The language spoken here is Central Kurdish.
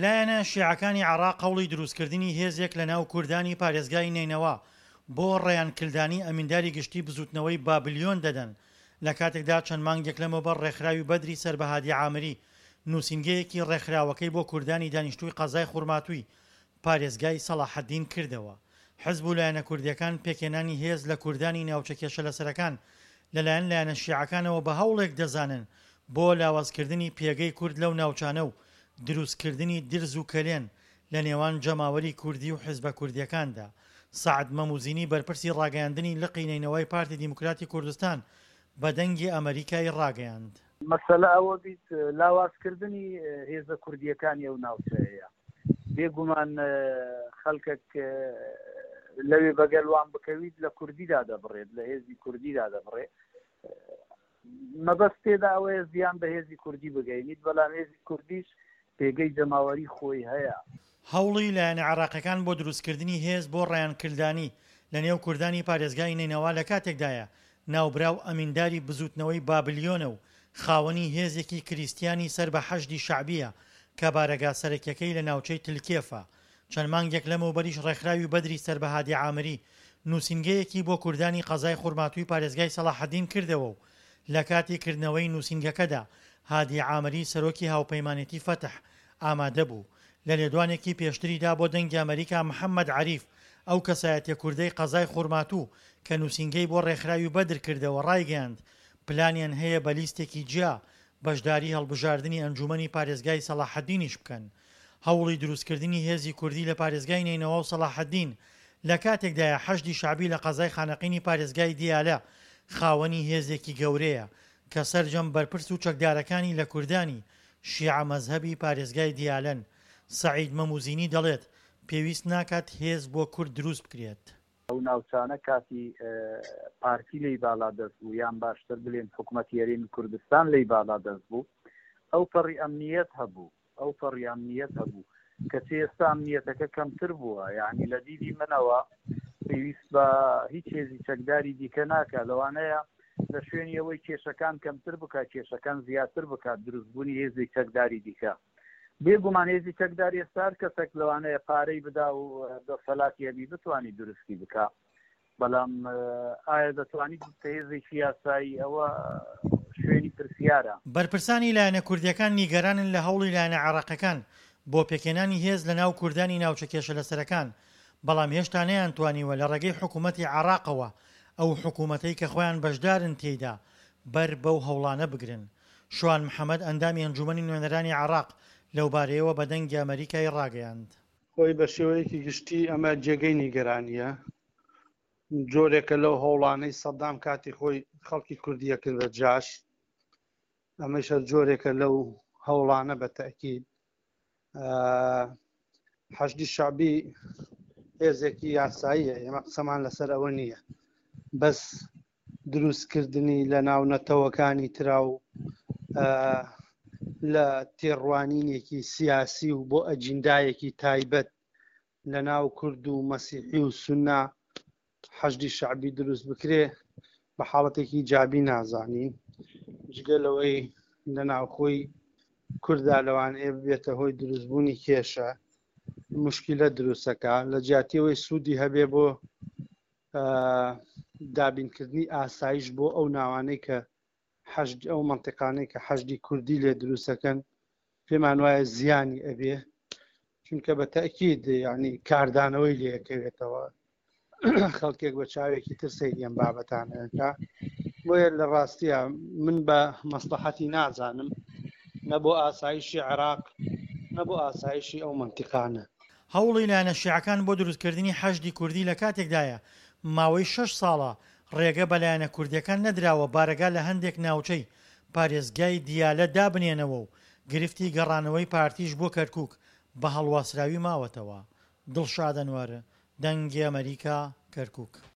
لایەنە شیعەکانی عێراق هەوڵی دروستکردنی هێزێک لەناو کوردانی پارێزگای نەینەوا بۆ ڕەیان کلدانی ئەمینداری گشتی بزوتنەوەی بابلیۆن دەدەن لە کاتێکدا چەند مانگێک لەمەوبەر ڕێکخراوی بەدری سەر بە هادی عامری نوسینگەیەکی ڕێکخراوەکەی بۆ کوردانی دانیشتووی قەزای خورماتووی پارێزگای سەڵاحەدین کردەوە. حزب و لایەنە کوردییەکان پێکهێنانی هێز لە کوردانی ناوچە کێشەلەسەرەکان لەلایەن لایەنە شیعەکانەوە بە هەوڵێک دەزانن بۆ لاوازکردنی پێگەی کورد لەو ناوچانە و دروستکردنی درز و کەلێن لە نێوان جەماوەری کوردی و حزبە کوردییەکاندا. سەعد مەموزینی بەرپرسی ڕاگەیاندنی لقی نەینەوای پارتی دیموکراتی کوردستان بە دەنگی ئەمەریکای ڕاگەیاند. مەسەلە ئەوە بیت لاوازکردنی هێزە کوردییەکانی ئەو ناوچەیە. بێ گومان خەلکەک لەوێ بەگەل وان بکەویت لە کوردیدا دەبڕێت لە هێزی کوردیدا دەبڕێ مەبەست تێدا ئەوەیە زیان بە هێزی کوردی بگەینیت بەڵام هێزی کوردیش پێگەی جەماوەری خۆی هەیە. هەوڵی لایەنە عێراقیەکان بۆ دروستکردنی هێز بۆ ڕەیان کلدانی لە نێو کوردانی پارێزگای نەینەوا لە کاتێکدایە ناوبراو ئەمینداری بزووتنەوەی بابلیۆنە و خاوەنی هێزێکی کریستیانی سەر بە حەشدی شەعبییە کە بارەگا سەرەکیەکەی لە ناوچەی تلکێفە. چەند مانگێک لەمەوبەریش ڕێکخراوی بەدری سەر بە هادی عامری نووسینگەیەکی بۆ کوردانی قەزای خورماتووی پارێزگای سەڵاحەدین کردەوە و لە کاتی کردنەوەی نووسینگەکەدا هادی عامری سەرۆکی هاوپەیمانێتی فەتح ئامادە بوو. لە لێدوانێکی پێشتریدا بۆ دەنگی ئەمەریکا محەمەد عەریف ئەو کەسایەتیە کوردەی قەزای خورماتوو کە نووسینگەی بۆ ڕێکخراوی بەدر کردەوە ڕایگەیاند پلانیان هەیە بە لیستێکی جیا بەشداری هەڵبژاردنی ئەنجومەنی پارێزگای سەڵاحەدینیش بکەن. هەوڵی دروستکردنی هێزی کوردی لە پارێزگای نەینەوا و سەڵاحەدین لە کاتێکدایە حەشدی شەعبی لە قەزای خانەقینی پارێزگای دیالە خاوەنی هێزێکی گەورەیە کە سەرجەم بەرپرس و چەکدارەکانی لە کوردانی شیعە مەزهەبی پارێزگای دیالەن. سەعید مەموزینی دەڵێت، پێویست ناکات هێز بۆ کورد دروست بکرێت. ئەو ناوچانە کاتی پارتی لێی باڵادەست بوو یان باشتر بلێن حکومەتی هەرێمی کوردستان لێی باڵادەست بوو ئەو پەڕی ئەمنیەت هەبوو ئەو پەڕی ئەمنیەت هەبوو کەچی ئێستا ئەمنیەتەکە کەمتر بووە یعنی لە دیدی منەوە پێویست بە هیچ هێزی چەکداری دیکە ناکە لەوانەیە لە شوێنی ئەوەی کێشەکان کەمتر بکات کێشەکان زیاتر بکات دروستبوونی هێزی چەکداری دیکە بێگومان هێزی چەکدار ئێستا هەر کەسێک لەوانەیە پارەی بدا و دەسەلاتی هەبی بتوانی دروستی بکا بەڵام ئایا دەتوانیت ببتە هێزێکی یاسایی ئەوە شوێنی پرسیارە. بەرپرسانی لایەنە کوردییەکان نیگەرانن لە هەوڵی لایەنە عێراقیەکان بۆ پێکهێنانی هێز لە ناو کوردانی ناوچە کێشەلەسەرەکان، بەڵام هێشتا نەیانتوانیوە لە ڕێگەی حکوومەتی عێراقەوە، ئەو حکوومەتەی کە خۆیان بەشدارن تێیدا، بەر بەو هەوڵانە بگرن. شوان محەمەد ئەندامی ئەنجوومەنی نوێنەرانی عێراق لەوبارەیەوە بە دەنگی ئەمەریکای ڕاگەیاند. خۆی بە شێوەیەکی گشتی ئەمە جێگەی نیگەرانییە، جۆرێکە لەو هەوڵانەی سەدام کاتی خۆی خەڵکی کوردی ئەکرد بە جاش، ئەمەش هەر جۆرێکە لەو هەوڵانە بە تەئکید. حەشدی شەعبی هێزێکی یاساییە، ئێمە قسەمان لەسەر ئەوە نییە، بەس دروستکردنی لە ناو نەتەوەکانی ترا و لە تێڕوانینێکی سیاسی و بۆ ئەجیندایەکی تایبەت لە ناو کورد و مەسیحی و سوننا حەشدی شەعبی دروست بکرێ بە حاڵەتێکی جابی نازانین جگە لەوەی لە ناوخۆی کوردا لەوانەیە ببێتە هۆی دروستبوونی کێشە مشکلە دروستەکە لە جیاتیەوەی سوودی هەبێ بۆ دابینکردنی ئاسایش بۆ ئەو ناوانەی کە حەشد ئەو مەنتیقانەی کە حەشدی کوردی لێ دروستەکەن پێمان وایە زیانی ئەبێ چونکە بە تەکید ینی کاردانەوەی لەکەوێتەوە خەڵکێک بە چاوێکی تر سەیری ئەم بابەتانەکە بۆیە لە ڕاستیە من بە مەسلحەتی نازانم نە بۆ ئاسایشی عێراق نە بۆ ئاسایشی ئەو مەنتیقانە. هەوڵی لایەنە شیعەکان بۆ دروستکردنی حەشدی کوردی لە کاتێکدایە ماوەی شەش ساڵە ڕێگە بە لایەنە کوردییەکان نەدراوە بارەگا لە هەندێک ناوچەی پارێزگای دیالە دابنێنەوە و گرفتی گەڕانەوەی پارتیش بۆ کەرکوک بە هەڵواسراوی ماوەتەوە. دڵشاد ئەنوەر، دەنگی ئەمەریکا، کەرکوک.